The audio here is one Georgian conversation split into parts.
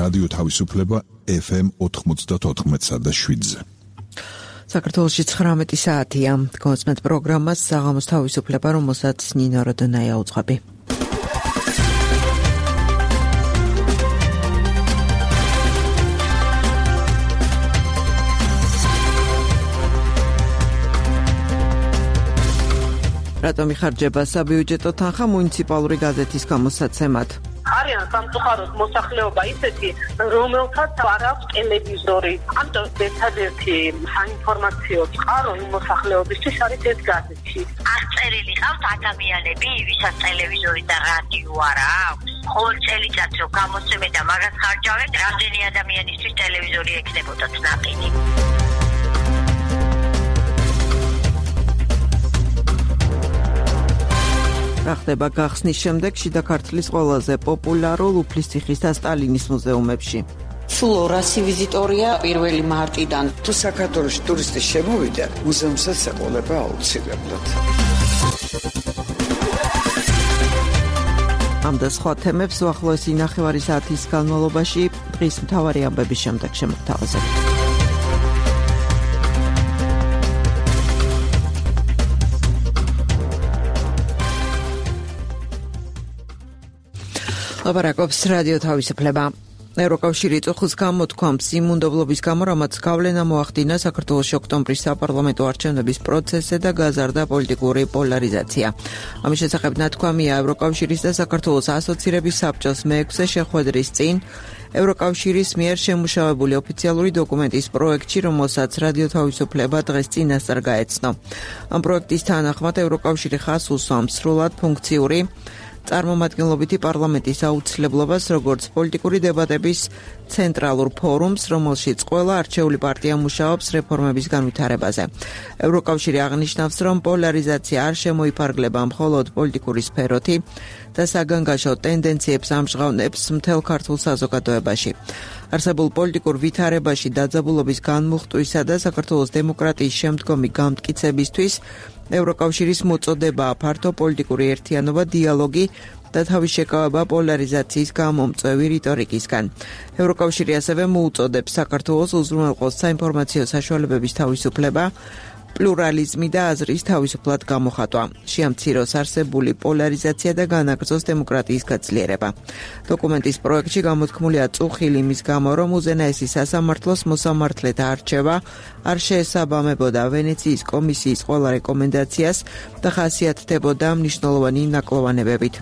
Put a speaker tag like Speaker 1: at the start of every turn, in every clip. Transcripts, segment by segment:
Speaker 1: რადიო თავისუფლება FM 94.7-ზე.
Speaker 2: საქართველოში 19 საათია. კონსმეთ პროგრამას საღამოს თავისუფლება, რომელსაც ნინო როდონაია უძღვები. რატომ იხარჯება საბიუჯეტო თანხა მუნიციპალური გაზეთის გამოსაცემად?
Speaker 3: არიან სამწუხაროდ მოსახლეობა ისეთი, რომელთაც არ აქვს ტელევიზორი. ამიტომ ერთადერთი საინფორმაციო წყარო იმ მოსახლეობისთვის არის ეს გაზეთი.
Speaker 4: არ წერილი ყავთ ადამიანები, ვისაც ტელევიზორი და რადიო არ აქვს. ყოველ წელიწადს რო გამოსცემენ და მაგას ხარჯავენ, რამდენი ადამიანისთვის ტელევიზორი ექნებოდათ ნაყინი.
Speaker 2: რა ხდება გახსნის შემდეგ შიდა ქართლის ყველაზე პოპულარულ უფლისციხის და სტალინის მუზეუმებში?
Speaker 5: სულ 200 ვიზიტორია 1 მარტიდან.
Speaker 6: თუ საქართველოში ტურისტი შემოვიდა, მუზეუმსაც ეყოლება აუცილებლად.
Speaker 2: ამ და სხვა თემებს უახლოესი ნახევარი საათის განმავლობაში დღის მთავარი ამბების შემდეგ შემოგთავაზებთ. ლაპარაკობს რადიო თავისუფლება. ევროკავშირი წუხის გამოთქვამს იმუნდობლობის გამო, რამაც გავლენა მოახდინა საქართველოში ოქტომბრის საპარლამენტო არჩევნების პროცესზე და გაზარდა პოლიტიკური პოლარიზაცია. ამის შესახებ ნათქვამია ევროკავშირის და საქართველოს ასოცირების საბჭოს მე-6 შეხვედრის წინ ევროკავშირის მიერ შემუშავებული ოფიციალური დოკუმენტის პროექტში, რომელსაც რადიო თავისუფლება დღეს წინასწარ გაეცნო. ამ პროექტის თანახმად ევროკავშირი ხაზს უსვამს სრულად ფუნქციური წარმომადგენლობითი პარლამენტის აუცილებლობას, როგორც პოლიტიკური დებატების ცენტრალურ ფორუმს, რომელშიც ყველა არჩეული პარტია მუშაობს რეფორმების განვითარებაზე. ევროკავშირი აღნიშნავს, რომ პოლარიზაცია არ შემოიფარგლება მხოლოდ პოლიტიკური სფეროთი და საგანგაშო ტენდენციებს ამჟღავნებს მთელ ქართულ საზოგადოებაში. არსებულ პოლიტიკურ ვითარებაში დაძაბულობის განმუხტვისა და საქართველოს დემოკრატიის შემდგომი გამტკიცებისთვის ევროკავშირის მოწოდებაა ფართო პოლიტიკური ერთიანობა, დიალოგი და თავის შეკავება პოლარიზაციის გამომწვევი რიტორიკისგან. ევროკავშირი ასევე მოუწოდებს საქართველოს უზრუნველყოს საინფორმაციო საშუალებების თავისუფლება, პლურალიზმი და აზრის თავისუფლად გამოხატვა. შეამციროს არსებული პოლარიზაცია და განაგრძოს დემოკრატიის გაძლიერება. დოკუმენტის პროექტში გამოთქმულია წუხილი იმის გამო, რომ უზენაესი სასამართლოს მოსამართლეთა არჩევა არ შეესაბამებოდა ვენეციის კომისიის ყველა რეკომენდაციას და ხასიათდებოდა მნიშვნელოვანი ნაკლოვანებებით.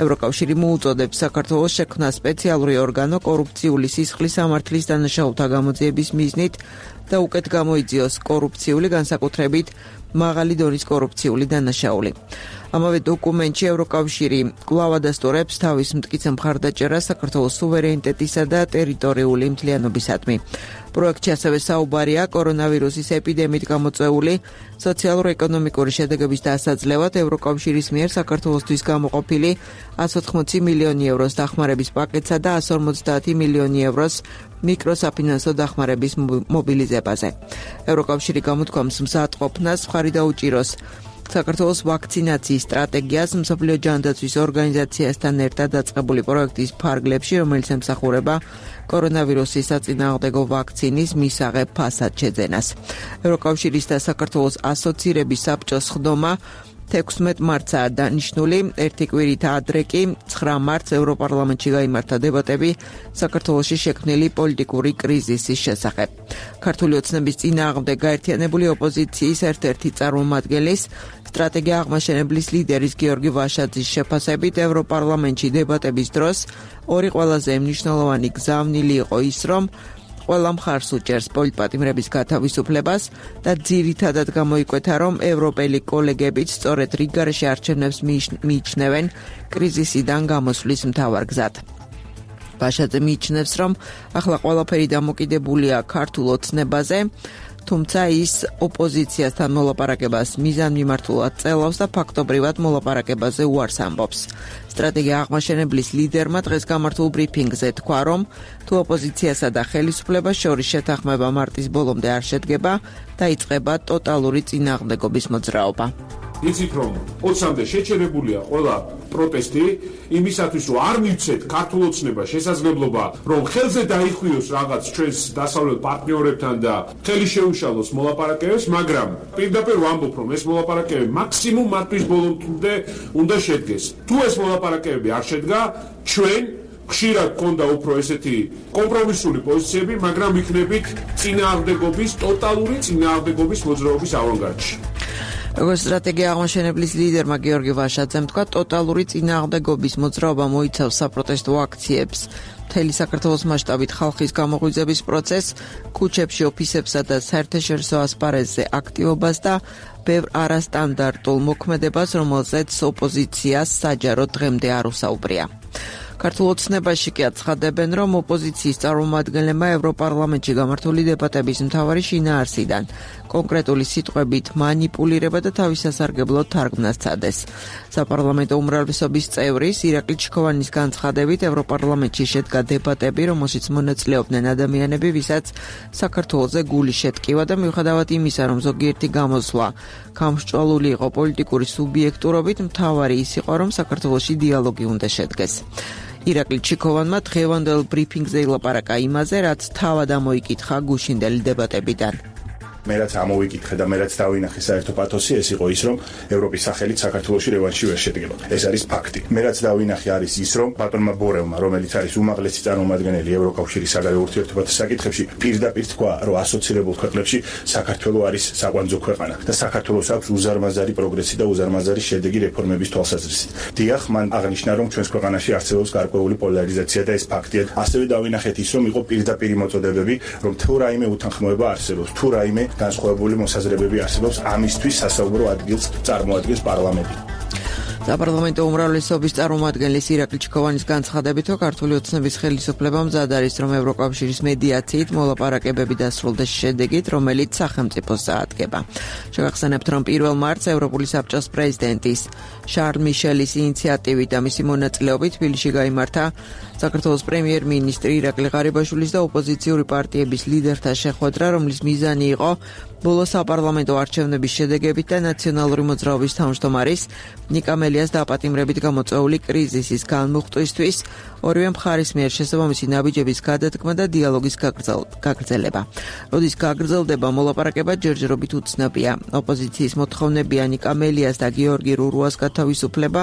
Speaker 2: ევროკავშირი მოუწოდებს საქართველოს შექმნა სპეციალური ორგანო კორუფციული სისხლის სამართლის დანაშაულთა გამოძიების მიზნით და უკეთ გამოიძიოს კორუფციული, განსაკუთრებით მაღალი დონის კორუფციული დანაშაული. ამავე დოკუმენტში ევროკავშირი კვლავ ადასტურებს თავის მტკიცე მხარდაჭერას საქართველოს სუვერენიტეტისა და ტერიტორიული მთლიანობისადმი. პროექტში ასევე საუბარია კორონავირუსის ეპიდემიით გამოწვეული სოციალურ-ეკონომიკური შედეგების დასაძლევად ევროკავშირის მიერ საქართველოსთვის გამოყოფილი 180 მილიონი ევროს დახმარების პაკეტსა და 150 მილიონი ევროს მიკროსაფინანსო დახმარების მობილიზებაზე. ევროკავშირი გამოთქვამს მზადყოფნას მხარი დაუჭიროს საქართველოს ვაქცინაციის სტრატეგიას მსოფლიო ჯანდაცვის ორგანიზაციასთან ერთად დაწყებული პროექტის ფარგლებში, რომელიც ემსახურება კორონავირუსის საწინააღმდეგო ვაქცინის მისაღებ ფასად შეძენას. ევროკავშირის და საქართველოს ასოცირების საბჭოს ხდომა 16 მარტსაა დანიშნული, ერთი კვირით ადრე კი 9 მარტს ევროპარლამენტში გაიმართა დებატები საქართველოში შექმნილი პოლიტიკური კრიზისის შესახებ. ქართული ოცნების წინააღმდეგ გაერთიანებული ოპოზიციის ერთ-ერთი წარმომადგენლის სტრატეგია აღმაშენებლის ლიდერის გიორგი ვაშაძის შეფასებით ევროპარლამენტში დებატების დროს ორი ყველაზე მნიშვნელოვანი გზავნილი იყო ის, რომ ყველა მხარს უჭერს პოლიტპატიმრების გათავისუფლებას და ძირითადად გამოიკვეთა, რომ ევროპელი კოლეგებიც სწორედ რიგგარეშე არჩევნებს მიიჩნევენ კრიზისიდან გამოსვლის მთავარ გზად. ვაშაძე მიიჩნევს, რომ ახლა ყველაფერი დამოკიდებულია ქართულ ოცნებაზე, თუმცა ის ოპოზიციასთან მოლაპარაკებას მიზანმიმართულად წელავს და ფაქტობრივად მოლაპარაკებაზე უარს ამბობს. სტრატეგია აღმაშენებლის ლიდერმა დღეს გამართულ ბრიფინგზე თქვა, რომ თუ ოპოზიციასა და ხელისუფლებას შორის შეთანხმება მარტის ბოლომდე არ შედგება, დაიწყება ტოტალური წინააღმდეგობის მოძრაობა.
Speaker 7: იცით რომ 20-მდე შეჩერებულია ყველა პროტესტი იმისათვის რომ არ მივცეთ ქართულ ოცნებას შესაძლებლობა რომ ხელზე დაიხვიოს რაღაც ჩვენს დასავლელ პარტნიორებთან და ხელი შეუშალოს მოლაპარაკებებს, მაგრამ პირდაპირ ვამბობ რომ ეს მოლაპარაკებები მაქსიმუმ მარტის ბოლომდე უნდა შედგეს. თუ ეს მოლაპარაკებები არ შედგა, ჩვენ ხშირად გქონდა უფრო ესეთი კომპრომისული პოზიციები, მაგრამ იქნებით წინააღმდეგობის, ტოტალური წინააღმდეგობის მოძრაობის ავანგარდში.
Speaker 2: როგორც სტრატეგია აღმაშენებლის ლიდერმა გიორგი ვაშაძემ თქვა, ტოტალური წინააღმდეგობის მოძრაობა მოიცავს საპროტესტო აქციებს, მთელი საქართველოს მასშტაბით ხალხის გამოღვიძების პროცესს, ქუჩებში, ოფისებსა და საერთაშორისო ასპარეზზე აქტივობას და ბევრ არასტანდარტულ მოქმედებას, რომელზეც ოპოზიციას საჯაროდ დღემდე არ უსაუბრია. ქართულ ოცნებაში კი აცხადებენ, რომ ოპოზიციის წარმომადგენლებმა ევროპარლამენტში გამართული დებატების მთავარი შინაარსიდან კონკრეტული სიტყვებით მანიპულირება და თავის სასარგებლოდ თარგმნას სცადეს. საპარლამენტო უმრავლესობის წევრის ირაკლი ჩიქოვანის განცხადებით, ევროპარლამენტში შედგა დებატები, რომელშიც მონაწილეობდნენ ადამიანები, ვისაც საქართველოზე გული შეტკივა და მიუხედავად იმისა, რომ ზოგიერთი გამოსვლა გამსჭვალული იყო პოლიტიკური სუბიექტურობით, მთავარი ის იყო, რომ საქართველოში დიალოგი უნდა შედგეს. ირაკლი ჩიქოვანმა დღევანდელ ბრიფინგზე ილაპარაკა იმაზე, რაც თავად ამოიკითხა გუშინდელი დებატებიდან.
Speaker 8: მე რაც ამოვიკითხე და მე რაც დავინახე საერთო პათოსი, ეს იყო ის, რომ ევროპის სახელით საქართველოში რევანში ვერ შედგება. ეს არის ფაქტი. მე რაც დავინახე არის ის, რომ ბატონმა ბორელმა, რომელიც არის უმაღლესი წარმომადგენელი ევროკავშირის საგარეო ურთიერთობათა საკითხებში, პირდაპირ თქვა, რომ ასოცირებულ ქვეყნებში საქართველო არის საკვანძო ქვეყანა და საქართველოს აქვს უზარმაზარი პროგრესი და უზარმაზარი შედეგი რეფორმების თვალსაზრისით. დიახ, მან აღნიშნა, რომ ჩვენს ქვეყანაში არსებობს გარკვეული პოლარიზაცია და ეს ფაქტია. ასევე დავინახეთ ის, რომ იყო პირდაპირი მოწოდებები, რომ თუ რაიმე უთანხმოება არსებობს, თუ რაიმე განსხვავებული მოსაზრებები არსებობს, ამისთვის სასაუბრო ადგილს წარმოადგენს პარლამენტი.
Speaker 2: საპარლამენტო უმრავლესობის წარმომადგენლის ირაკლი ჩიქოვანის განცხადებით, ქართული ოცნების ხელისუფლებამ მზად არის, რომ ევროკავშირის მედიაციით მოლაპარაკებები დასრულდეს შედეგით, რომელიც სახელმწიფოს წაადგება. შეგახსენებთ, რომ 1 მარტს ევროპული საბჭოს პრეზიდენტის შარლ მიშელის ინიციატივით და მისი მონაწილეობით თბილისში გაიმართა საქართველოს პრემიერ-მინისტრი ირაკლი ღარიბაშვილის და ოპოზიციური პარტიების ლიდერთა შეხვედრა, რომლის მიზანი იყო ბოლო საპარლამენტო არჩევნების შედეგებით და ნაციონალური მოძრაობის თავმჯდომარის ნიკა მელიას დაპატიმრებით გამოწვეული კრიზისის განმუხტვისთვის, ორივე მხარის მიერ შესაბამისი ნაბიჯების გადადგმა და დიალოგის გაგრძელება. როდის გაგრძელდება მოლაპარაკება ჯერჯერობით უცნობია. ოპოზიციის მოთხოვნებია ნიკა მელიას და გიორგი რურუას გათავისუფლება,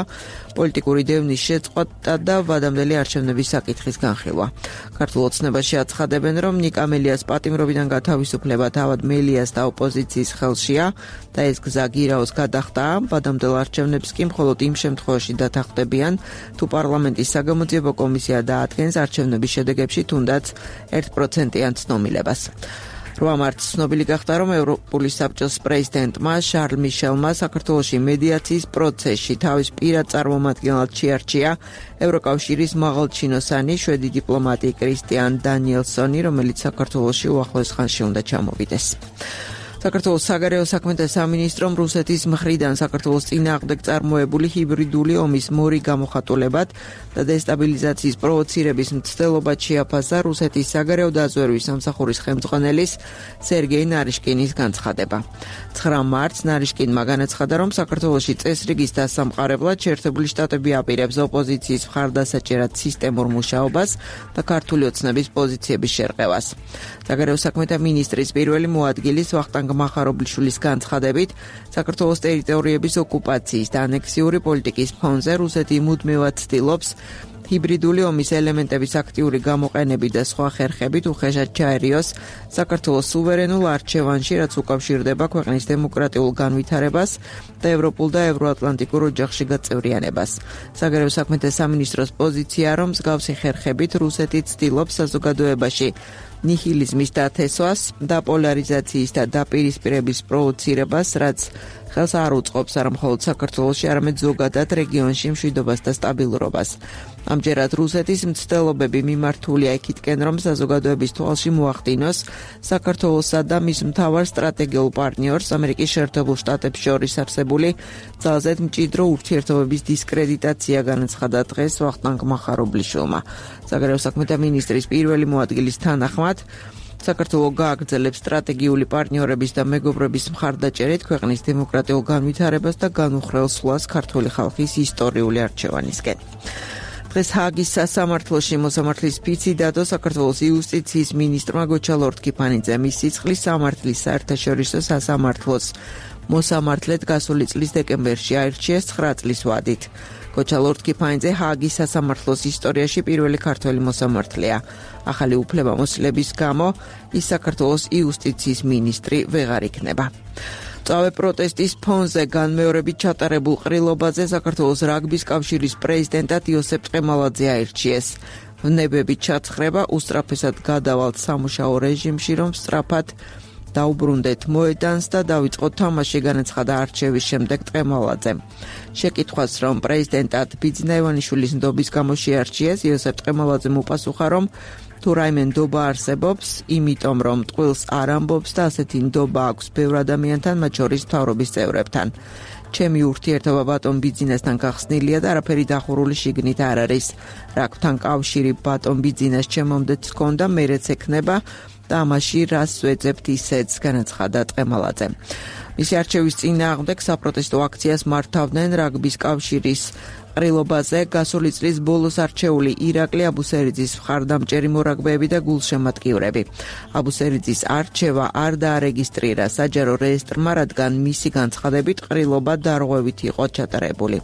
Speaker 2: პოლიტიკური დევნის შეწყვეტა და ვადამდელი არჩევნების საკითხის განხილვა. ქართულ ოცნებაში აცხადებენ, რომ ნიკა მელიას პატიმრობიდან გათავისუფლება თავად მელიას და ოპოზიციის ხელშია და ეს გზა გირაოს გადახტაა. ვადამდელ არჩევნებს კი მხოლოდ იმ შემთხვევაში დათანხმდებიან, თუ პარლამენტის საგამოძიებო კომისია დაადგენს არჩევნების შედეგებში თუნდაც 1%-იან ცნობილებას. 8 მარტს ცნობილი გახდა, რომ ევროპული საბჭოს პრეზიდენტმა შარლ მიშელმა საქართველოში მედიაციის პროცესში თავის პირად წარმომადგენლად შეარჩია ევროკავშირის მაღალჩინოსანი შვედი დიპლომატი კრისტიან დანიელსონი, რომელიც საქართველოში უახლოეს ხანში უნდა ჩამოვიდეს. საქართველოს საგარეო საქმეთა სამინისტრომ რუსეთის მხრიდან საქართველოს წინააღმდეგ წარმოებული ჰიბრიდული ომის მორიგ გამოხატულებად და დესტაბილიზაციის პროვოცირების მცდელობად შეაფასა რუსეთის საგარეო დაზვერვის სამსახურის ხელმძღვანელის სერგეი ნარიშკინის განცხადება. 9 მარტს ნარიშკინმა განაცხადა, რომ საქართველოში წესრიგის დასამყარებლად შეერთებული შტატები აპირებს ოპოზიციის მხარდასაჭერად სისტემურ მუშაობას და ქართული ოცნების პოზიციების შერყევას. საგარეო საქმეთა მინისტრის პირველი მოადგილის ვახტანგ მახარობლიშვილის განცხადებით, საქართველოს ტერიტორიების ოკუპაციის და ანექსიური პოლიტიკის ფონზე რუსეთი მუდმივად ცდილობს ჰიბრიდული ომის ელემენტების აქტიური გამოყენებით და სხვა ხერხებით უხეშად ჩაერიოს საქართველოს სუვერენულ არჩევანში, რაც უკავშირდება ქვეყნის დემოკრატიულ განვითარებას და ევროპულ და ევროატლანტიკურ ოჯახში გაწევრიანებას. საგარეო საქმეთა სამინისტროს პოზიცია, რომ მსგავსი ხერხებით რუსეთი ცდილობს საზოგადოებაში ნიჰილიზმის დათესვას და პოლარიზაციის და დაპირისპირების პროვოცირებას, რაც ხელს არ უწყობს არა მხოლოდ საქართველოში, არამედ ზოგადად რეგიონში მშვიდობას და სტაბილურობას. ამჯერად რუსეთის მცდელობები მიმართულია იქითკენ, რომ საზოგადოების თვალში მოახდინოს საქართველოსა და მის მთავარ სტრატეგიულ პარტნიორს ამერიკის შეერთებულ შტატებს შორის არსებული ძალზედ მჭიდრო ურთიერთობების დისკრედიტაცია, განაცხადა დღეს ვახტანგ მახარობლიშვილმა. საგარეო საქმეთა მინისტრის პირველი მოადგილის თანახმად, საქართველოს გააგრძელებს სტრატეგიული პარტნიორების და მეგობრობის მხარდაჭერით ქვეყნის დემოკრატიულ განვითარებას და განუხრელ სვლას ქართული ხალხის ისტორიული არჩევანისკენ. დღეს ჰააგის სასამართლოში მოსამართლის ფიცი დადო საქართველოს იუსტიციის მინისტრმა გოჩა ლორთქიფანიძემ მის სიცხლის სამართლის საერთაშორისო სასამართლოს მოსამართლედ გასული წლის დეკემბერში აირჩიეს 9 წლის ვადით. გოჩა ლორთქიფანიძე ჰააგის სასამართლოს ისტორიაში პირველი ქართველი მოსამართლეა. ახალი უფლებამოსილების გამო ის საქართველოს იუსტიციის მინისტრი ვეღარ იქნება. წავე პროტესტის ფონზე განმეორებით ჩატარებულ ყრილობაზე საქართველოს რაგბის კავშირის პრეზიდენტად იოსებ ტყემალაძე აირჩიეს. ვნებებით ჩაცხრება უსწრაფესად გადავალთ სამუშაო რეჟიმში, რომ სწრაფად დაუბრუნდეთ მოედანს და დავიწყოთ თამაში, განაცხადა არჩევის შემდეგ ტყემალაძემ. შეკითხვას, რომ პრეზიდენტად ბიძინა ივანიშვილის ნდობის გამო შეარჩიეს, იოსებ ტყემალაძემ უპასუხა, რომ თუ რაიმე ნდობა არსებობს, იმიტომ რომ ტყუილს არ ამბობს და ასეთი ნდობა აქვს ბევრ ადამიანთან, მათ შორის მთავრობის წევრებთან. ჩემი ურთიერთობა ბატონ ბიძინასთან გახსნილია და არაფერი დახურული შიგნით არ არის. რაგბთან კავშირი ბატონ ბიძინას ჩემამდეც ჰქონდა, მერეც ექნება და ამაში რას ვეძებთ ისეც, განაცხადა ტყემალაძე. მისი არჩევის წინააღმდეგ საპროტესტო აქციას მართავდნენ რაგბის კავშირის ყრილობაზე გასული წლის ბოლოს არჩეული ირაკლი აბუსერიძის მხარდამჭერი მორაგბეები და გულშემატკივრები. აბუსერიძის არჩევა არ დაარეგისტრირა საჯარო რეესტრმა, რადგან მისი განცხადებით ყრილობა დარღვევით იყო ჩატარებული.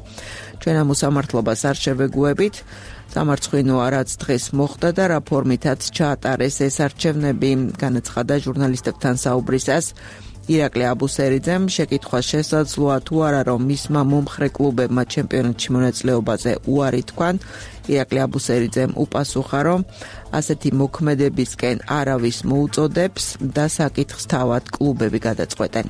Speaker 2: ჩვენ ამ მოსამართლობას არ შევეგუებით. სამარცხვინოა, რაც დღეს მოხდა და რა ფორმითაც ჩაატარეს ეს არჩევნები, განაცხადა ჟურნალისტებთან საუბრისას ირაკლი აბუსერიძემ. შეკითხვა შესაძლოა თუ არა, რომ მისმა მომხრე კლუბებმა ჩემპიონატში მონაწილეობაზე უარი თქვან. ირაკლი აბუსერიძემ უპასუხა, რომ ასეთი მოქმედებისკენ არავის მოუწოდებს და საკითხს თავად კლუბები გადაწყვეტენ.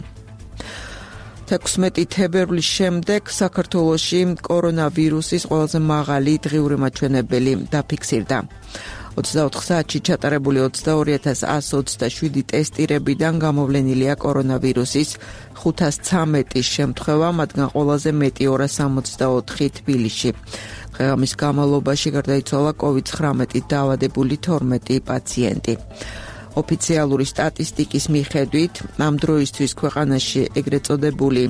Speaker 2: 16 თებერვლის შემდეგ საქართველოში კორონავირუსის ყველაზე მაღალი დღიური მაჩვენებელი დაფიქსირდა. 24 საათში ჩატარებული 22.127 ტესტირებიდან გამოვლენილია კორონავირუსის 513 შემთხვევა, მათგან ყველაზე მეტი 264 თბილისში. დღეამის განმავლობაში გარდაიცვალა COVID-19 დაავადებული 12 პაციენტი. ოფიციალური სტატისტიკის მიხედვით, ამ დროისთვის ქვეყანაში ეგრეთ წოდებული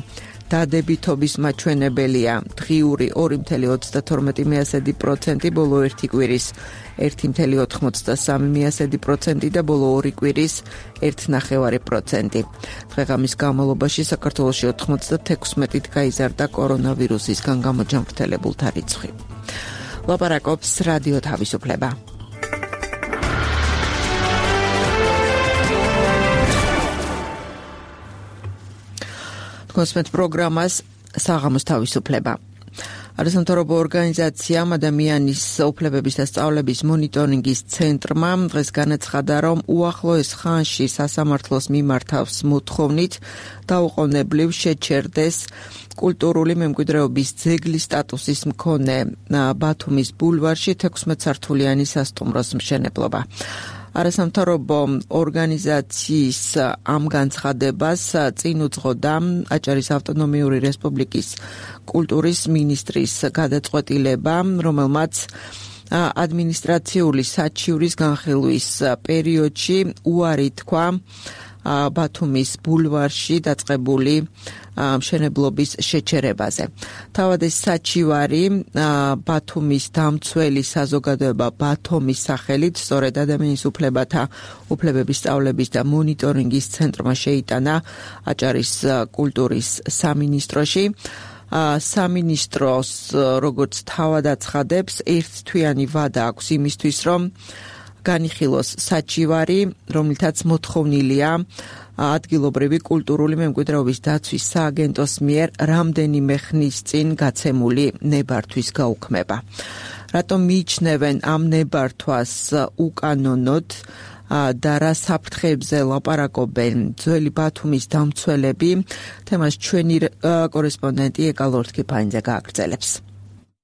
Speaker 2: დადებითობის მაჩვენებელია დღიური 2.32% ბოლო ერთი კვირის 1.83% და ბოლო ორი კვირის 1.9%. დღეღამის განმავლობაში საქართველოში 96-ით გაიზარდა კორონავირუსისგან გამოჯანმრთელებულთა რიცხვი. ლაპარაკობს რადიო თავისუფლება. კონსმეთ პროგრამას საღამოს თავისუფლება. არასამთავრობო ორგანიზაცია ადამიანის უფლებების და სწავლების მონიტორინგის ცენტრმა დღეს განაცხადა, რომ უახლოეს ხანში სასამართლოს მიმართავს მოთხოვნით დაუყოვნებლივ შეჩერდეს კულტურული მემკვიდრეობის ძეგლის სტატუსის მქონე ბათუმის ბულვარში 16 სართულიანი სასტუმროს მშენებლობა. არასამთავრობო ორგანიზაციის ამ განცხადებას წინ უძღოდა აჭარის ავტონომიური რესპუბლიკის კულტურის მინისტრის გადაწყვეტილება, რომელმაც ადმინისტრაციული საჩივრის განხილვის პერიოდში უარი თქვა ბათუმის ბულვარში დაწყებული მშენებლობის შეჩერებაზე. თავად ეს საჩივარი ბათუმის დამცველი საზოგადოება ბათუმის სახელით სწორედ ადამიანის უფლებათა უფლებების სწავლების და მონიტორინგის ცენტრმა შეიტანა აჭარის კულტურის სამინისტროში. სამინისტროს როგორც თავად აცხადებს, ერთთვიანი ვადა აქვს იმისთვის, რომ განიხილოს საჩივარი, რომლითაც მოთხოვნილია ადგილობრივი კულტურული მემკვიდრეობის დაცვის სააგენტოს მიერ რამდენიმე ხნის წინ გაცემული ნებართვის გაუქმება. რატომ მიიჩნევენ ამ ნებართვას უკანონოდ და რა საფრთხეებზე ლაპარაკობენ ძველი ბათუმის დამცველები, თემას ჩვენი კორესპონდენტი ეკა ლორთქიფანიძე გააგრძელებს.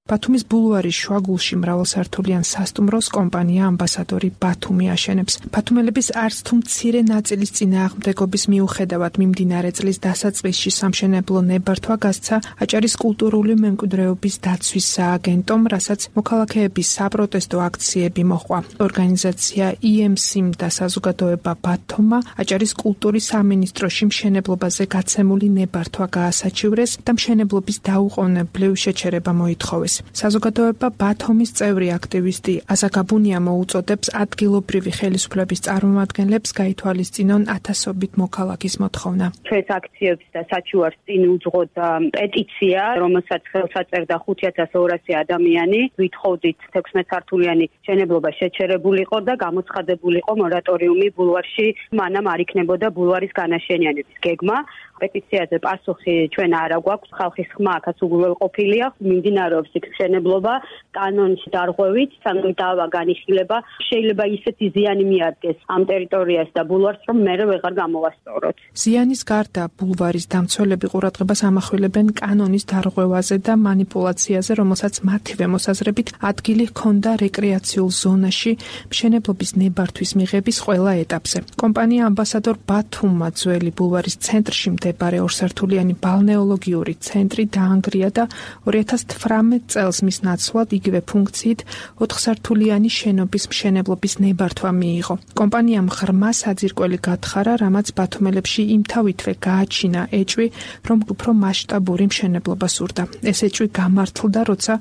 Speaker 9: ბათუმის ბულვარის შუაგულში მრავალსართულიან სასტუმროს კომპანია ამბასადორი ბათუმი აშენებს. ბათუმელების არც თუ მცირე ნაწილის წინააღმდეგობის მიუხედავად მიმდინარე წლის დასაწყისში სამშენებლო ნებართვა გასცა აჭარის კულტურული მემკვიდრეობის დაცვის სააგენტომ, რასაც მოქალაქეების საპროტესტო აქციები მოჰყვა. ორგანიზაცია EMC და საზოგადოება ბათუმა აჭარის კულტურის სამინისტროში მშენებლობაზე გაცემული ნებართვა გაასაჩივრეს და მშენებლობის დაუყოვნებლივ შეჩერება მოითხოვეს. საზოგადოება ბათუმის წევრი აქტივისტი აზაგაბუნია მოუწოდებს ადგილობრივი ხელისუფლების წარმომადგენლებს გაითვალისწინონ ათასობით მოქალაქის მოთხოვნა.
Speaker 10: ჩვენს აქციებს და საჩუარს წინ უძღოთ პეტიცია, რომელსაც ხელს აწერდა 5200 ადამიანი. ვითხოვდით 16 სართულიანი მშენებლობა შეჩერებულიყო და გამოცხადებულიყო მორატორიუმი ბულვარში, მანამ არ იქნებოდა ბულვარის განაშენიანების გეგმა. პეტიციაზე პასუხი ჩვენ არ აგვაქვს, ხალხის ხმა აქაც უგულველყოფილია, მიმდინარეობს იქ მშენებლობა კანონის დარღვევით, სანამ დავა განიხილება, შეიძლება ისეთი ზიანი მიადგეს ამ ტერიტორიას და ბულვარს, რომ მერე ვეღარ გამოვასწოროთ.
Speaker 9: ზიანის გარდა ბულვარის დამცველები ყურადღებას ამახვილებენ კანონის დარღვევაზე და მანიპულაციაზე, რომელსაც მათივე მოსაზრებით ადგილი ჰქონდა რეკრეაციულ ზონაში მშენებლობის ნებართვის მიღების ყველა ეტაპზე. კომპანია ამბასადორ ბათუმმა ძველი ბულვარის ცენტრში მდებარე ორსართულიანი ბალნეოლოგიური ცენტრი დაანგრია და 2018 წელს მის ნაცვლად იგივე ფუნქციით 4 სართულიანი შენობის მშენებლობის ნებართვა მიიღო. კომპანიამ ღრმა საძირკველი გათხარა, რამაც ბათუმელებში იმთავითვე გააჩინა ეჭვი, რომ უფრო მასშტაბური მშენებლობა სურდა. ეს ეჭვი გამართლდა, როცა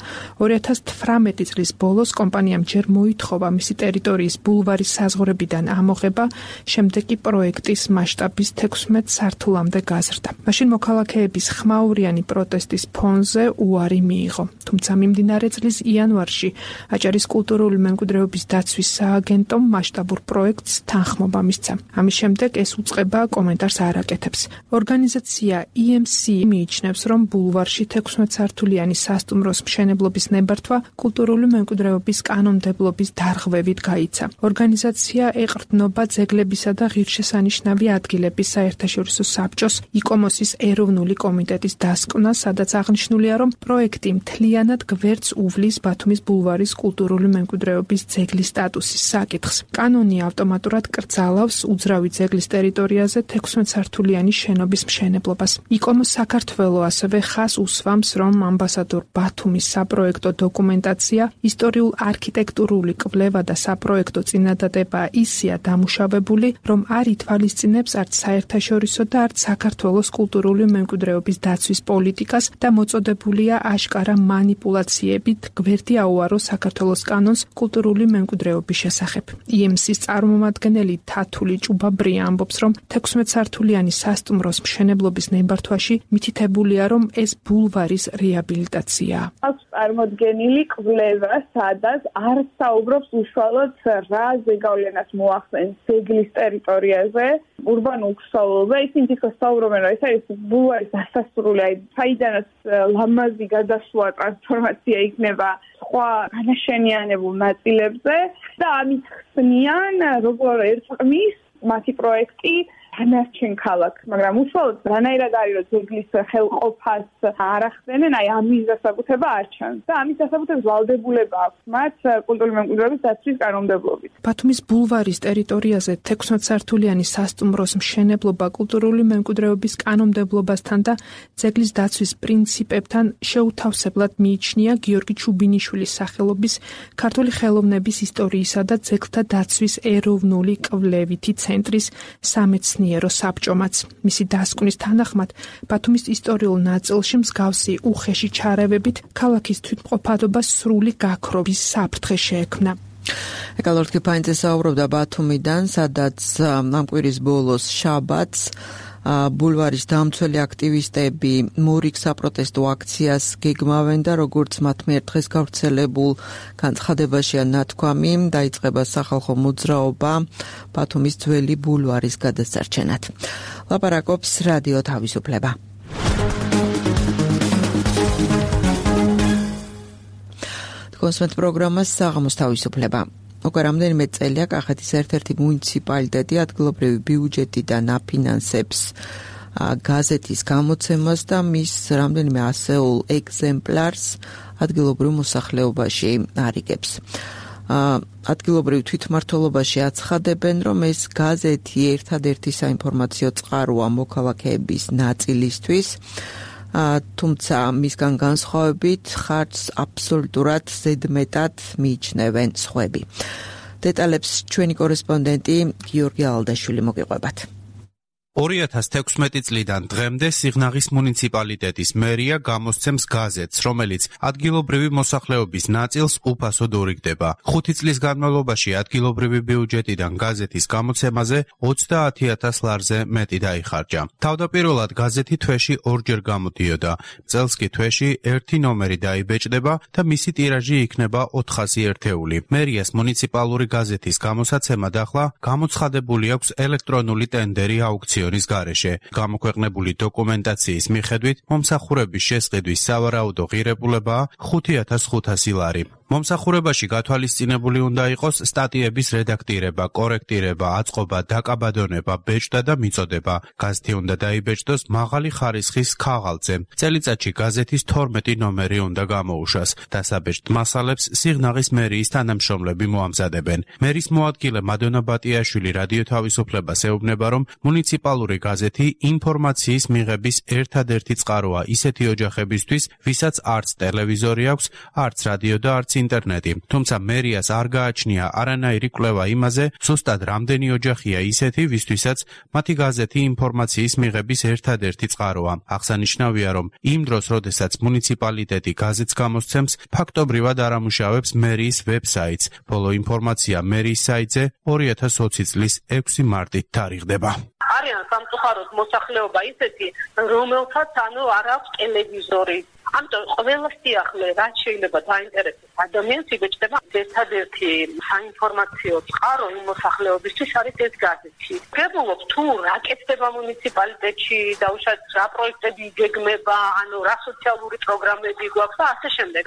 Speaker 9: 2018 წლის ბოლოს კომპანიამ ჯერ მოითხოვა მისი ტერიტორიის ბულვარის საზღვრებიდან ამოღება, შემდეგ კი პროექტის მასშტაბის 16 სართულამდე გაზრდა. მაშინ მოქალაქეების ხმაურიანი პროტესტის ფონზე უარი მიიღო. თუმცა მიმდინარე წლის იანვარში აჭარის კულტურული მემკვიდრეობის დაცვის სააგენტომ მასშტაბურ პროექტს თანხმობა მისცა. ამის შემდეგ ეს უწყება კომენტარს არ აკეთებს. ორგანიზაცია EMC მიიჩნევს, რომ ბულვარში 16 სართულიანი სასტუმროს მშენებლობის ნებართვა კულტურული მემკვიდრეობის კანონმდებლობის დარღვევით გაიცა. ორგანიზაცია ეყრდნობა ძეგლებისა და ღირსშესანიშნავი ადგილების საერთაშორისო საბჭოს იკომოსის ეროვნული კომიტეტის დასკვნას, სადაც აღნიშნულია, რომ პროექტი მთლიანად გვერდს უვლის ბათუმის ბულვარის კულტურული მემკვიდრეობის ძეგლის სტატუსის საკითხს. კანონი ავტომატურად კრძალავს უძრავი ძეგლის ტერიტორიაზე 16 სართულიანი შენობის მშენებლობას. იკომოს საქართველო ასევე ხას უსვამს, რომ ამბასადორ ბათუმის საპროექტო დოკუმენტაცია, ისტორიულ-არქიტექტურული კვლევა და საპროექტო წინადადება ისეა დამუშავებული, რომ არ ითვალისწინებს არც საერთაშორისო და არც საქართველოს კულტურული მემკვიდრეობის დაცვის პოლიტიკას და მოწოდებულია აშკარა მანიპულაციებით გვერდი აუარო საქართველოს კანონს კულტურული მემკვიდრეობის შესახებ. EMC-ის წარმომადგენელი თათული ჭუბაბრია ამბობს, რომ 16 სართულიანი სასტუმროს მშენებლობის ნებართვაში მითითებულია, რომ ეს ბულვარის რეაბილიტაციაა.
Speaker 11: აქვს წარმოდგენილი კვლევა, სადაც არ საუბრობს უშუალოდ რა ზეგავლენას მოახსენს ძეგლის ტერიტორიაზე, ურბანულ ქსოვილზე, ისინი თვითონ საუბრობენ, რომ ეს არის ბულვარის დასასრული, აი საიდანაც ლამაზი გადასვლა ტრანსფორმაცია იქნება სხვა განაშენიანებულ ნაწილებზე და ამით ხსნიან, როგორ ერწყმის მათი პროექტი დანარჩენ ქალაქს, მაგრამ უშუალოდ რანაირად არის, რომ ძეგლის ხელყოფას არ ახდენენ, აი ამის დასაკუთრება არ ჩანს და ამის დასაკუთრების ვალდებულება აქვს მათ კულტურული მემკვიდრეობის დაცვის კანონმდებლობით.
Speaker 9: ბათუმის ბულვარის ტერიტორიაზე 16 სართულიანი სასტუმროს მშენებლობა კულტურული მემკვიდრეობის კანონმდებლობასთან და ძეგლის დაცვის პრინციპებთან შეუთავსებლად მიიჩნია გიორგი ჩუბინიშვილის სახელობის ქართული ხელოვნების ისტორიისა და ძეგლთა დაცვის ეროვნული კვლევითი ცენტრის სამეცნიერო საბჭომაც. მისი დასკვნის თანახმად, ბათუმის ისტორიულ ნაწილში მსგავსი უხეში ჩარევებით ქალაქის თვითმყოფადობას სრული გაქრობის საფრთხე შეექმნა.
Speaker 2: ეკალორდ კიფაინძე საუბრობდა ბათუმიდან, სადაც ამ კვირის ბოლოს შაბათს ბულვარის დამცველი აქტივისტები მორიგ საპროტესტო აქციას გეგმავენ და როგორც მათ მიერ დღეს გავრცელებულ განცხადებაშია ნათქვამი, დაიწყება სახალხო მოძრაობა ბათუმის ძველი ბულვარის გადასარჩენად. ლაპარაკობს რადიო თავისუფლება. კონსვენტ პროგრამას საღამოს თავისუფლება. უკვე რამდენიმე წელია კახეთის ერთ-ერთი მუნიციპალიტეტი ადგილობრივი ბიუჯეტიდან აფინანსებს გაზეთის გამოცემას და მის რამდენიმე ასეულ ეგზემპლარს ადგილობრივ მოსახლეობაში არიგებს. ადგილობრივ თვითმმართველობაში აცხადებენ, რომ ეს გაზეთი ერთადერთი საინფორმაციო წყაროა მოქალაქეების ნაწილისთვის, თუმცა მისგან განსხვავებით ხარჯს აბსოლუტურად ზედმეტად მიიჩნევენ სხვები. დეტალებს ჩვენი კორესპონდენტი გიორგი ალდაშვილი მოგიყვებათ.
Speaker 12: 2016 წლიდან დღემდე სიღნაღის მუნიციპალიტეტის მერია გამოსცემს გაზეთს, რომელიც ადგილობრივი მოსახლეობის ნაწილს უფასოდ ურიგდება. 5 წლის განმავლობაში ადგილობრივი ბიუჯეტიდან გაზეთის გამოცემაზე 30,000 ლარზე მეტი დაიხარჯა. თავდაპირველად გაზეთი თვეში 2 ჯერ გამოდიოდა. წელს კი თვეში 1 ნომერი დაიბეჭდება და მისი ტირაჟი იქნება 400 ერთეული. მერიას მუნიციპალური გაზეთის გამოსაცემად ახლა გამოცხადებული აქვს ელექტრონული ტენდერი აუქცია გარეშე. გამოქვეყნებული დოკუმენტაციის მიხედვით მომსახურების შესყიდვის სავარაუდო ღირებულებაა 5,500 ლარი. მომსახურებაში გათვალისწინებული უნდა იყოს სტატიების რედაქტირება, კორექტირება, აწყობა, დაკაბადონება, ბეჭდა და მიწოდება. გაზეთი უნდა დაიბეჭდოს მაღალი ხარისხის ქაღალდზე. წელიწადში გაზეთის 12 ნომერი უნდა გამოუშვას. დასაბეჭდ მასალებს სიღნაღის მერიის თანამშრომლები მოამზადებენ. მერის მოადგილე მადონა ბატიაშვილი რადიო თავისუფლებას ეუბნება, რომ მუნიციპალური გაზეთი ინფორმაციის მიღების ერთადერთი წყაროა ისეთი ოჯახებისთვის, ვისაც არც ტელევიზორი აქვს, არც რადიო და არც ინტერნეტი. თუმცა მერიას არ გააჩნია არანაირი კვლევა იმაზე, ზუსტად რამდენი ოჯახია ისეთი, ვისთვისაც მათი გაზეთი ინფორმაციის მიღების ერთადერთი წყაროა. აღსანიშნავია, რომ იმ დროს, როდესაც მუნიციპალიტეტი გაზეთს გამოსცემს, ფაქტობრივად არ ამუშავებს მერიის ვებსაიტს. ბოლო ინფორმაცია მერიის საიტზე 2020 წლის 6 მარტით თარიღდება.
Speaker 3: არიან სამწუხაროდ მოსახლეობა ისეთი, რომელთაც არ აქვს ტელევიზორი. ამიტომ ყველა სიახლე, რაც შეიძლება დაინტერესოს ადამიანს, იბეჭდება ერთადერთი საინფორმაციო წყარო იმ მოსახლეობისთვის არის ეს გაზეთი. ვებულობ თუ რა კეთდება მუნიციპალიტეტში, დაუშვათ რა პროექტები იგეგმება, რა სოციალური პროგრამები გვაქვს და ასე შემდეგ.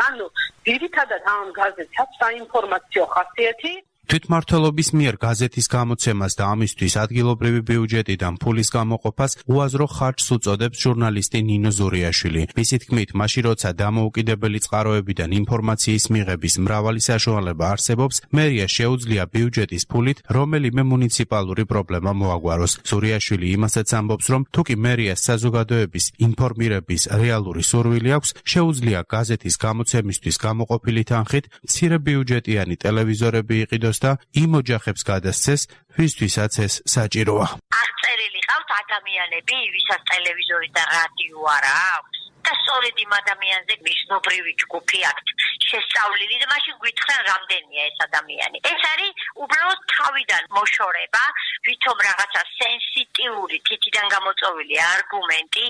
Speaker 3: ძირითადად ამ გაზეთს აქვს საინფორმაციო ხასიათი.
Speaker 12: თვითმმართველობის მიერ გაზეთის გამოცემას და ამისთვის ადგილობრივი ბიუჯეტიდან ფულის გამოყოფას უაზრო ხარჯს უწოდებს ჟურნალისტი ნინო ზურიაშვილი. მისი თქმით, მაშინ როცა დამოუკიდებელი წყაროებიდან ინფორმაციის მიღების მრავალი საშუალება არსებობს, მერია შეუძლია ბიუჯეტის ფულით რომელიმე მუნიციპალური პრობლემა მოაგვაროს. ზურიაშვილი იმასაც ამბობს, რომ თუკი მერიას საზოგადოების ინფორმირების რეალური სურვილი აქვს, შეუძლია გაზეთის გამოცემისთვის გამოყოფილი თანხით მცირე ბიუჯეტიანი ტელევიზორები იყიდოს და იმ ოჯახებს გადასცეს, ვისთვისაც ეს საჭიროა.
Speaker 4: აღწერილი ყავთ ადამიანები, ვისაც ტელევიზორი და რადიო არ აქვს და სწორედ იმ ადამიანზე მისნობრივი ჯგუფი აქვთ შესწავლილი და მაშინ გვითხრან რამდენია ეს ადამიანი. ეს არის უბრალოდ თავიდან მოშორება, ვითომ რაღაცა სენსიტიური თითიდან გამოწვეული არგუმენტი,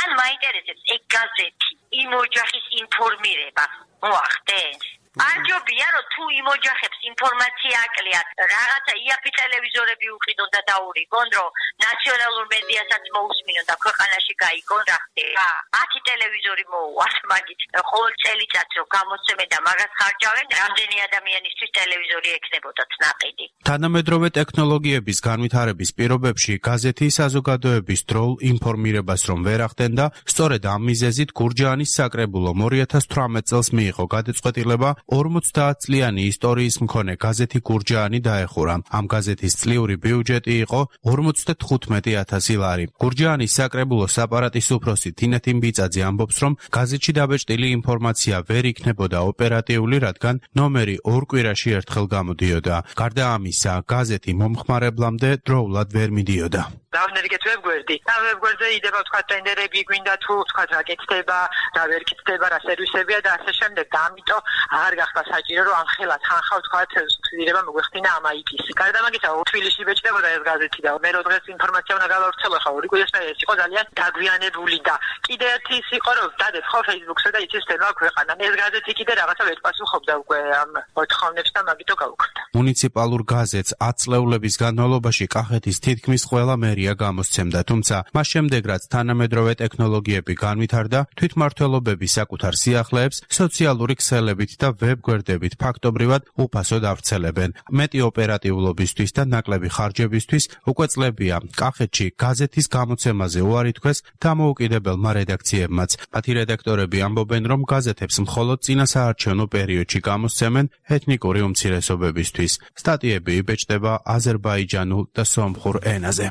Speaker 4: ან მაინტერესებს ეგ გაზეთი იმ ოჯახის ინფორმირება მოახდენს. არჯობია რომ თუ იმ ოჯახებს ინფორმაცია აკლიათ, რაღაცა იაფი ტელევიზორები უყიდონ და დაურიგონ, რომ ნაციონალურ მედიასაც მოусმინონ და ქვეყანაში გაიგონ რა ხდება. 10 ტელევიზორი მოუვათ მაგით. ყოველ წელიწადს რომ გამოსცემენ და მაგას ხარჯავენ, რამდენი ადამიანისთვის ტელევიზორი ექნებოდათ ნაყიდი.
Speaker 12: თანამედროვე ტექნოლოგიების განვითარების პირობებში გაზეთი საზოგადოების დროულ ინფორმირებას რომ ვერ ახდენდა, სწორედ ამ მიზეზით გურჯაანის საკრებულომ 2018 წელს მიიღო გადაწყვეტილება 50 წლიანი ისტორიის მქონე გაზეთი გურჯაანი დაეხურა. ამ გაზეთის წლიური ბიუჯეტი იყო 55,000 ლარი. გურჯაანის საკრებულოს აპარატის უფროსი თინათინ ბიწაძე ამბობს, რომ გაზეთში დაბეჭდილი ინფორმაცია ვერ იქნებოდა ოპერატიული, რადგან ნომერი 2 კვირაში ერთხელ გამოდიოდა. გარდა ამისა, გაზეთი მომხმარებლამდე დროულად ვერ მიდიოდა.
Speaker 13: დავნერგეთ ვებგვერდი. და ვებგვერდზე იდება თქვა ტენდერები გვინდა თუ თქვა რა კეთდება, რა ვერ კეთდება, რა სერვისებია და ასე შემდეგ. და ამიტომ აღარ გახდა საჭირო რომ ამხელა თანხავ თქვა სუბსიდირება მოგვეხდინა ამ აიკის. გარდა მაგისა თბილისში ბეჭდებოდა ეს გაზეთი და მე რო დღეს ინფორმაცია უნდა გავავრცელო ხა 2 კვირის მერე ეს იყო ძალიან დაგვიანებული და კიდე ერთი ის იყო რომ დადეთ ხო Facebook-ზე და იცის თემა ქვეყანა. ეს გაზეთი კიდე რაღაცა ვერ პასუხობდა უკვე ამ მოთხოვნებს და მაგითო გავუქმდა.
Speaker 12: მუნიციპალურ გაზეთს 10 წლეულების განმავლობაში კახეთის თითქმის ყველა მერია გამოსცემდა, თუმცა მას შემდეგ რაც თანამედროვე ტექნოლოგიები განვითარდა, თვითმმართველობები საკუთარ სიახლეებს სოციალური ქსელებით და ვებგვერდებით ფაქტობრივად უფასოდ ავრცელებენ. მეტი ოპერატიულობისთვის და ნაკლები ხარჯებისთვის უკვე წლებია კახეთში გაზეთის გამოცემაზე უარი თქვეს დამოუკიდებელმა რედაქციებმაც. მათი რედაქტორები ამბობენ, რომ გაზეთებს მხოლოდ წინასაარჩევნო პერიოდში გამოსცემენ ეთნიკური უმცირესობებისთვის. სტატიები იბეჭდება აზერბაიჯანულ და სომხურ ენაზე.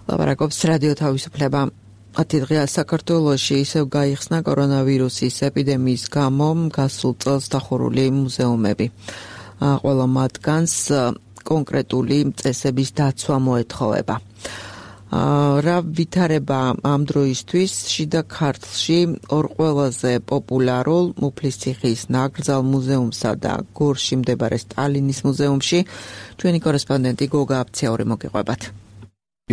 Speaker 2: ლაპარაკობს რადიო თავისუფლება. 10 დღეა საქართველოში ისევ გაიხსნა კორონავირუსის ეპიდემიის გამო გასულ წელს დახურული მუზეუმები. ყველა მათგანს კონკრეტული წესების დაცვა მოეთხოვება. რა ვითარება ამ დროისთვის შიდა ქართლში ორ ყველაზე პოპულარულ მუფლისციხის ნაკრძალ მუზეუმსა და გორში მდებარე სტალინის მუზეუმში ჩვენი კორესპონდენტი გოგა აფციური მოგიყვებათ.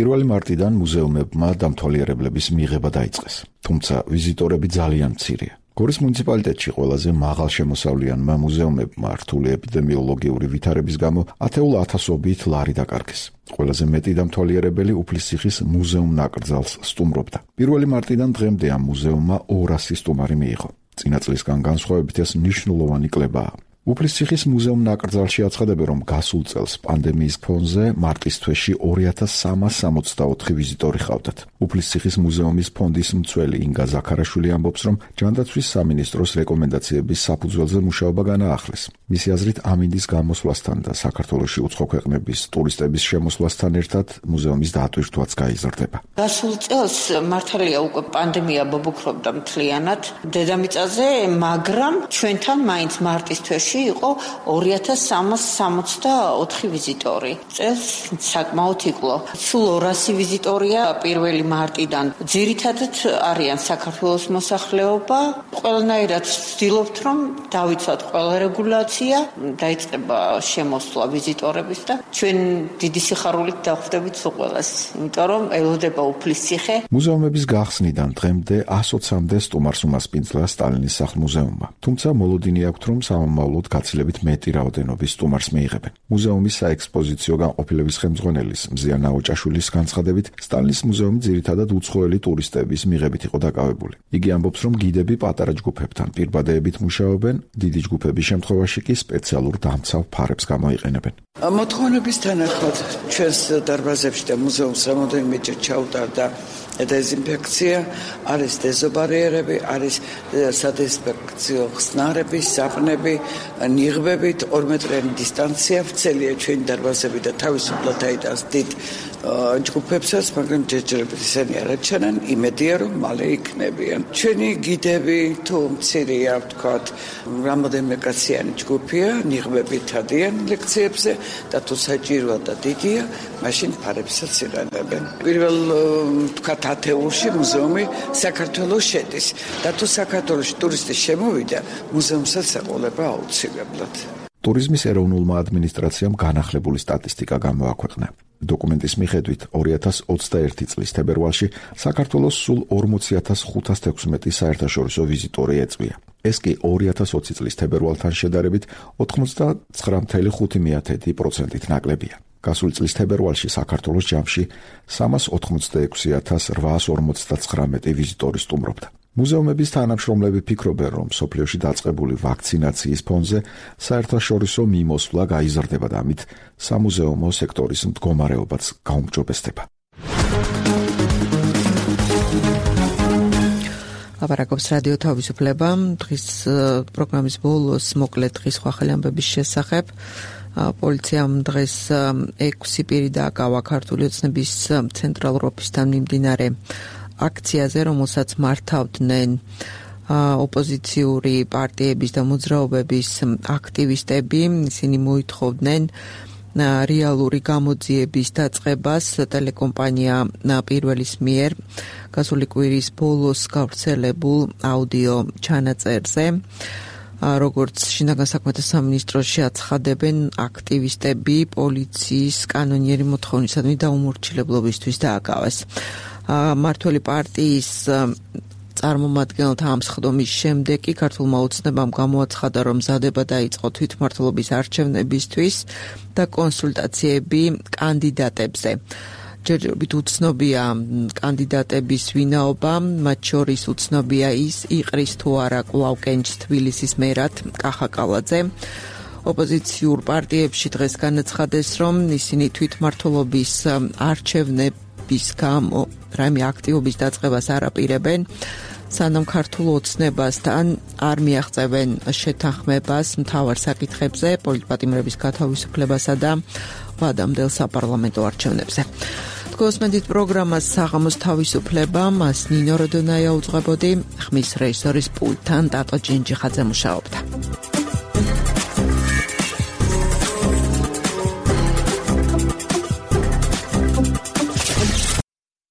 Speaker 1: 1 მარტიდან მუზეუმებმა დამთვალიერებლების მიღება დაიწყეს, თუმცა ვიზიტორები ძალიან მცირეა. გორის მუნიციპალიტეტში ყველაზე მაღალშემოსავლიანმა მუზეუმებმა რთული ეპიდემიოლოგიური ვითარების გამო ათეულ ათასობით ლარი დაკარგეს. ყველაზე მეტი დამთვალიერებელი უფლისციხის მუზეუმ ნაკრძალს სტუმრობდა. 1 მარტიდან დღემდე ამ მუზეუმმა 200 სტუმარი მიიღო. წინა წლისგან განსხვავებით ეს მნიშვნელოვანი კლებაა. უფლისციხის მუზეუმ ნაკრძალში აცხადებენ, რომ გასულ წელს პანდემიის ფონზე მარტის თვეში 2364 ვიზიტორი ჰყავდათ. უფლისციხის მუზეუმის ფონდის მცველი ინგა ზაქარაშვილი ამბობს, რომ ჯანდაცვის სამინისტროს რეკომენდაციების საფუძველზე მუშაობა განაახლეს. მისი აზრით, ამინდის გამოსვლასთან და საქართველოში უცხო ქვეყნების ტურისტების შემოსვლასთან ერთად მუზეუმის დატვირთვაც გაიზრდება.
Speaker 5: გასულ წელს მართალია უკვე პანდემია ბობოქრობდა მთლიანად დედამიწაზე, მაგრამ ჩვენთან მაინც მარტის თვეში იყო 2364 ვიზიტორი. წელს საკმაოდ იკლო. სულ 200 ვიზიტორია 1 მარტიდან. ძირითადად არიან საქართველოს მოსახლეობა. ყველანაირად ვცდილობთ, რომ დავიცვათ ყველა რეგულაცია, დაიწყება შემოსვლა ვიზიტორების და ჩვენ დიდი სიხარულით დავხვდებით ყველას, იმიტომ რომ ელოდება უფლისციხე.
Speaker 1: მუზეუმების გახსნიდან დღემდე 120-მდე სტუმარს უმასპინძლა სტალინის სახლ-მუზეუმმა. თუმცა მოლოდინი აქვთ, რომ სამომავლოდ გაცილებით მეტი რაოდენობის სტუმარს მიიღებენ. მუზეუმის საექსპოზიციო განყოფილების ხელმძღვანელის მზიან ნაოჭაშვილის განცხადებით, სტალინის მუზეუმი ძირითადად უცხოელი ტურისტების მიღებით იყო დაკავებული. იგი ამბობს, რომ გიდები პატარა ჯგუფებთან პირბადეებით მუშაობენ, დიდი ჯგუფების შემთხვევაში კი სპეციალურ დამცავ ფარებს გამოიყენებენ.
Speaker 6: მოთხოვნების თანახმად ჩვენს დარბაზებში და მუზეუმს რამოდენიმეჯერ ჩაუტარდა დეზინფექცია, არის დეზობარიერები, არის სადეზინფექციო ხსნარები, საფნები, ნიღბებით, 2 მეტრიანი დისტანცია ვრცელია ჩვენი დარბაზები და თავისუფლად აიტანს დიდ ჯგუფებსაც, მაგრამ ჯერჯერობით ისინი არ აჩვენან, იმედია რომ მალე იქნებიან. ჩვენი გიდები თუ მცირეა, ვთქვათ, რამოდენიმე კაციანი ჯგუფია, ნიღბებით ადიან ლექციებზე და თუ საჭიროა და დიდია, მაშინ ფარებსაც იღებენ. პირველ ვთქვათ ათეულში მუზეუმი საქართველოს შედის და თუ საქართველოში ტურისტი შემოვიდა, მუზეუმსაც ეყოლება აუცილებლად.
Speaker 1: ტურიზმის ეროვნულმა ადმინისტრაციამ განახლებული სტატისტიკა გამოაქვეყნა. დოკუმენტის მიხედვით 2021 წლის თებერვალში საქართველოს სულ 40516 საერთაშორისო ვიზიტორი ეწვია. ეს კი 2020 წლის თებერვალთან შედარებით 99.5%-ით ნაკლებია. გასული წლის თებერვალში საქართველოს ჯამში 386849 ვიზიტორი სტუმრობდა. მუზეუმების თანამშრომლები ფიქრობენ, რომ სოფლიოში დაწყებული ვაქცინაციის ფონზე საერთაშორისო მიმოსვლა გაიზრდება და ამით სამუზეუმო სექტორის მდგომარეობაც გაუმჯობესდება.
Speaker 2: ლაპარაკობს რადიო თავისუფლება. დღის პროგრამის ბოლოს მოკლედ დღის ხვალ ამბების შესახებ. პოლიციამ დღეს 6 პირი დააკავა ქართული ოცნების ცენტრალურ ოფისთან მიმდინარე აქციაზე, რომელსაც მართავდნენ ოპოზიციური პარტიების და მოძრაობების აქტივისტები. ისინი მოითხოვდნენ რეალური გამოძიების დაწყებას ტელეკომპანია პირველის მიერ გასული კვირის ბოლოს გავრცელებულ აუდიო ჩანაწერზე. როგორც შინაგან საქმეთა სამინისტროში აცხადებენ, აქტივისტები პოლიციის კანონიერი მოთხოვნისადმი დაუმორჩილებლობისთვის დააკავეს. მართველი პარტიის წარმომადგენელთა ამ სხდომის შემდეგ კი ქართულმა ოცნებამ გამოაცხადა, რომ მზადება დაიწყო თვითმმართველობის არჩევნებისთვის და კონსულტაციები კანდიდატებზე. ჯერჯერობით უცნობია კანდიდატების ვინაობა, მათ შორის უცნობია ის, იყრის თუ არა კვლავ კენჭს თბილისის მერად კახა კალაძე. ოპოზიციურ პარტიებში დღეს განაცხადეს, რომ ისინი თვითმმართველობის არჩევნების გამო რაიმე აქტივობის დაწყებას არ აპირებენ, სანამ ქართულ ოცნებასთან არ მიაღწევენ შეთანხმებას მთავარ საკითხებზე, პოლიტპატიმრების გათავისუფლებასა და ვადამდელ საპარლამენტო არჩევნებზე. გოსმენდით პროგრამას საღამოს თავისუფლება, მას ნინო როდონაია უძღვებოდი, ხმის რეჟისორის პულტთან ტატო ჯინჯიხაძე მუშაობდა.